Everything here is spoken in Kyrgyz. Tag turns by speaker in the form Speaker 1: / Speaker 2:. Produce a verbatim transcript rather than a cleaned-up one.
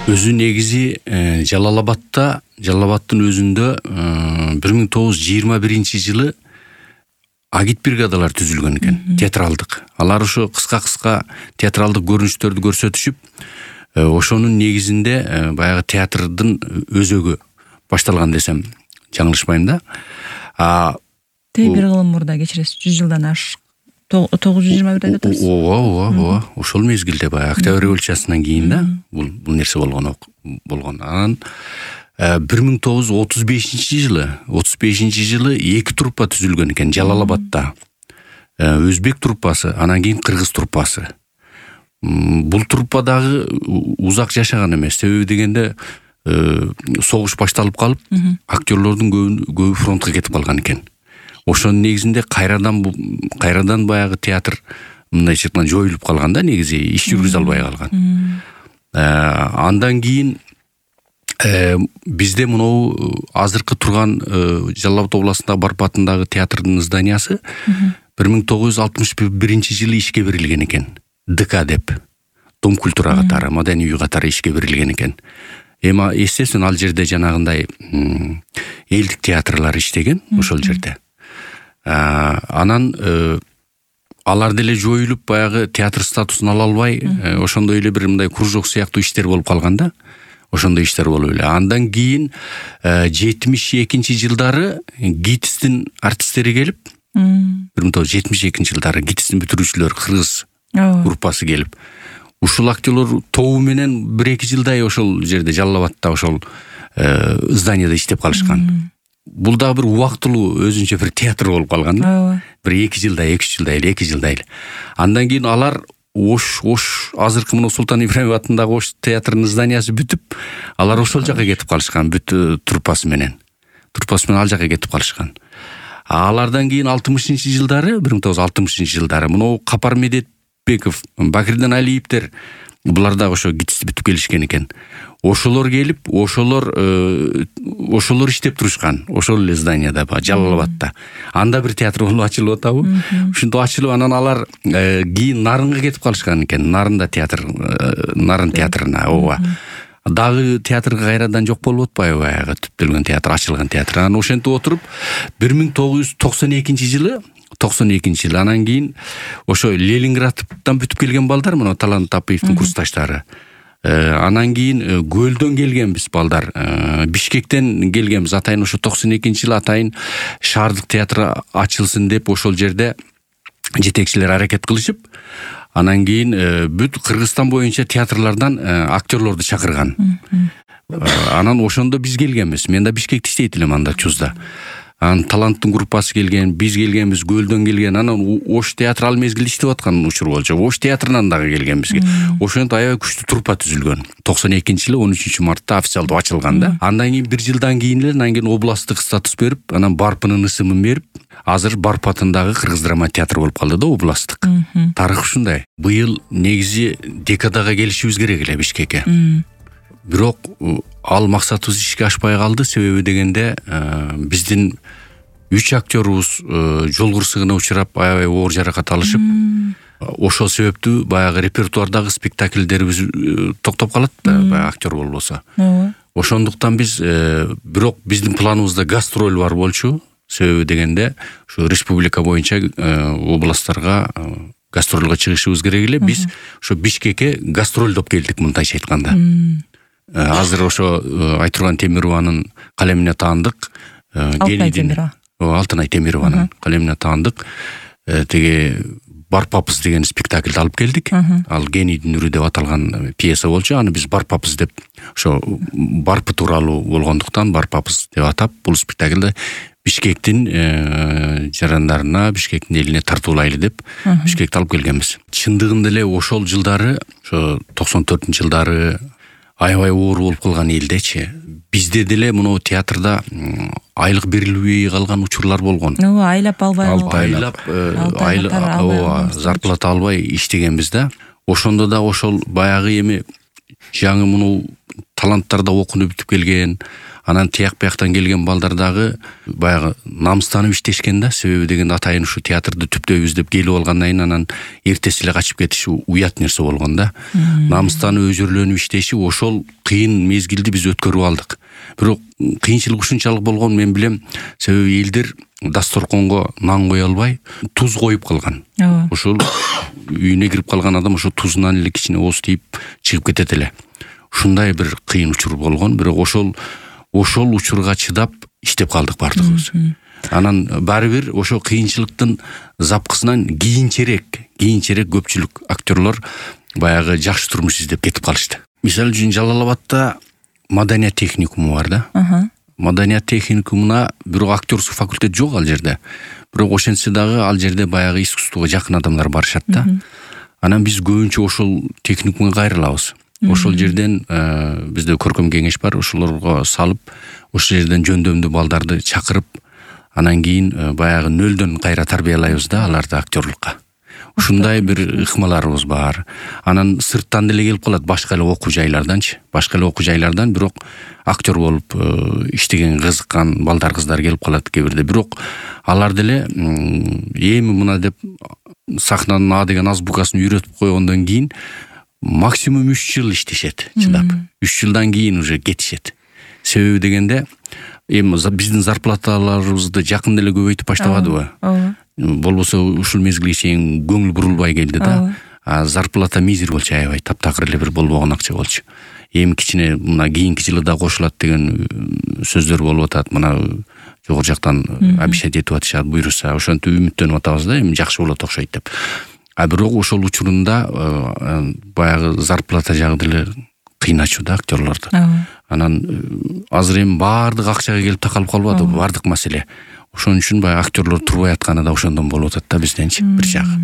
Speaker 1: Өзү негизи Жалал Абадта, Жалал Абадтын өзүндө бир миң тогуз жүз жыйырма биринчи жылы агит бригадалар түзүлгөн экен, театралдык. Алар ошо кыска-кыска театралдык көрүнүштөрдү көрсөтүшүп, ошонун негизинде баягы театрдын өзөгү башталган десем жаңылышпайм да.
Speaker 2: Тээ бир кылым мурда кечиресиз, жүз жылдан аш тогуз жүз жыйырма бир деп атабыз.
Speaker 1: Ооба, ооба, ооба. Ошол мезгилде баягы Октябрь революциясынан кийин да бул бул нерсе болгон болгон. Анан бир миң тогуз жүз отуз бешинчи жылы, отуз бешинчи жылы эки труппа түзүлгөн экен Жалал Абадта. Өзбек труппасы, анан кийин кыргыз труппасы. Бул труппа дагы узак жашаган эмес. Себеби дегенде согуш башталып калып, актерлордун көбү фронтко кетип калган экен. Ошонун негизинде кайрадан кайрадан баягы театр мындайча айтканда жоюлуп калган да, негизи иш жүргүзө албай калган. Андан кийин бизде мынау азыркы турган Жалал Абад областындагы Барп атындагы театрдын зданиясы бир миң тогуз жүз алтымыш биринчи жылы ишке берилген экен. ДК деп, Дом культура катары, Маданий үй катары ишке берилген экен. Эми естественно ал жерде жанагындай элдик театрлар иштеген ошол жерде. Анан алар деле жоюлуп баягы театр статусун ала албай, ошондой эле бир мындай кружок сыяктуу иштер болуп калганда, ошондой иштер болуп эле. Андан кийин жетимиш экинчи жылдары ГИТИСтин артисттери келип, бир миң тогуз жүз жетимиш экинчи жылдары ГИТИСтин бүтүрүүчүлөр кыргыз группасы келип, ушул актерлор тобу менен бир эки жылдай ошол жерде Жалал Абадта ошол зданияда иштеп калышкан. Бул дагы бир убактылуу өзүнчө бир театр болуп калган да. Бир эки жылдай, эки үч жылдай эле, эки жылдай эле. Андан кийин алар Ош, Ош азыркы мына Султан Ибраимов атындагы Ош театрынын зданиясы бүтүп, алар ошол жака кетип калышкан, бүт труппасы менен. Труппасы менен ал жака кетип калышкан. Алардан кийин алтымышынчы жылдары, бир миң тогуз жүз алтымышынчы жылдары мына Капар Медетбеков, Бакирдин Алиевдер булар дагы ошо ГИТИСти бүтүп келишкен экен. Ошолор келип, ошолор ошолор иштеп турушкан. Ошол эле зданияда, Жалал Абадта. Анда бир театр болуп ачылып атабы? Ушинтип ачылып, анан алар кийин Нарынга кетип калышкан экен. Нарында театр, Нарын театрына, ооба. Дагы театрга кайрадан жок болуп атпайбы баягы түптөлгөн театр, ачылган театр. Анан ошентип отуруп бир миң тогуз жүз токсон экинчи жылы токсон экинчи жыл анан кийин ошо Ленинградтан бүтүп келген балдар, мына Талант Тапиевдин курсташтары. Анан кийин Көлдөн келгенбиз балдар, Бишкектен келгенбиз. Атайын ошо токсон экинчи жылы атайын шаардык театр ачылсын деп ошол жерде жетекчилер аракет кылышып, анан кийин бүт Кыргызстан боюнча театрлардан актерлорду чакырган. Анан ошондо биз келгенбиз. Мен да Бишкекте иштейт элем анда Чузда. Анан Таланттын группасы келген, биз келгенбиз, Көлдөн келген. Анан Ош театр ал мезгилде иштеп аткан учур болчу. Ош театрынан дагы келгенбиз. Ошентип аябай күчтүү труппа түзүлгөн. токсон экинчи жылы он үчүнчү мартта официалдуу ачылган да. Андан кийин бир жылдан кийин эле, анан кийин областтык статус берип, анан Барпынын ысымын берип, азыр Барп атындагы Кыргыз драма театры болуп калды да, областтык. Тарых ушундай. Быйыл негизи декадага келишибиз керек эле Бишкекке. Бирок ал максатыбыз ишке ашпай калды. Себеби дегенде биздин үч актерубуз жол кырсыгына учурап, аябай оор жаракат алышып, ошол себептүү баягы репертуардагы спектакльдерибиз токтоп калат да, баягы актер болбосо. Ошондуктан биз бирок биздин планыбызда гастроль бар болчу. Себеби дегенде ушу республика боюнча областтарга гастролго чыгышыбыз керек эле. Биз ошо Бишкекке гастролдоп келдик, мындайча айтканда. Азыр ошо Айтурган Темированын калемине таандык.
Speaker 2: Алтынай Темирова.
Speaker 1: Алтынай Темированын калемине таандык. Теге Барпапыз деген спектакльди алып келдик. Ал Генийдин үрү деп аталган пьеса болчу. Аны биз Барпапыз деп, ошо Барпы тууралуу болгондуктан Барпапыз деп атап, бул спектакльди Бишкектин жарандарына, Бишкектин элине тартуулайлы деп Бишкекти алып келгенбиз. Чындыгында эле ошол жылдары, ошо токсон төртүнчү жылдары аябай оор болуп калган элдечи. Бизде деле мына театрда айлык берилбей калган учурлар болгон.
Speaker 2: Ооба, айлап албай,
Speaker 1: айлап, айлап, зарплата албай иштегенбиз да. Ошондо да ошол баягы эми жаңы муну таланттар да окунуп бүтүп келген, анан тияк бияктан келген балдар дагы баягы намыстанып иштешкен да. Себеби деген атайын ушу театрды түптөйбүз деп келип алгандан кийин анан эртеси эле качып кетиши уят нерсе болгон да. Намыстанып өзүрлөнүп иштеши, ошол кыйын мезгилди биз өткөрүп алдык. Бирок кыйынчылык ушунчалык болгон мен билем, себеби элдер дасторконго нан кое албай туз коюп калган. Ошол үйүнө кирип калган адам ошо тузунан эле кичине ооз тийип чыгып кетет эле. Ушундай бир кыйын учур болгон, бирок ошол ошол учурга чыдап иштеп калдык бардыгыбыз. Анан баары бир ошо кыйынчылыктын запкысынан кийинчерээк, кийинчерээк көпчүлүк актерлор баягы жакшы турмуш издеп кетип калышты. Мисалы үчүн Жалал Абадта маданият техникуму бар да. Маданият техникумуна бирок актерский факультет жок ал жерде. Бирок ошентсе дагы ал жерде баягы искусствого жакын адамдар барышат да. Анан биз көбүнчө ошол техникумга кайрылабыз. Ошол жерден бизде көркөм кеңеш бар, ошолорго салып, ошол жерден жөндөмдүү балдарды чакырып, анан кийин баягы нөлдөн кайра тарбиялайбыз да аларды актерлукка. Ушундай бир ыкмаларыбыз бар. Анан сырттан деле келип калат, башка эле окуу жайларданчы, башка эле окуу жайлардан, бирок актер болуп иштеген кызыккан балдар кыздар келип калат кээ бирде. Бирок алар деле эми мына деп сахнанын А деген азбукасын үйрөтүп койгондон кийин максимум үч жыл иштешет, чыдап. үч жылдан кийин уже кетишет. Себеби дегенде, эми биздин зарплаталарыбызды жакында эле көбөйтүп баштабадыбы? Ооба. Болбосо ушул мезгилге чейин көңүл бурулбай келди да. А зарплата мизер болчу, аябай таптакыр эле бир болбогон акча болчу. Эми кичине мына кийинки жылы да кошулат деген сөздөр болуп атат. Мына жогору жактан обещать этип атышат, буйруса, ошентип үмүттөнүп атабыз да, эми жакшы болот окшойт деп. А бирок ошол учурунда баягы зарплата жагы деле кыйначу да актерлорду. Анан азыр эми баардык акчага келип такалып калбады, баардык маселе. Ошон үчүн баягы актерлор турбай атканы да ошондон болуп атат да бизденчи бир жагы.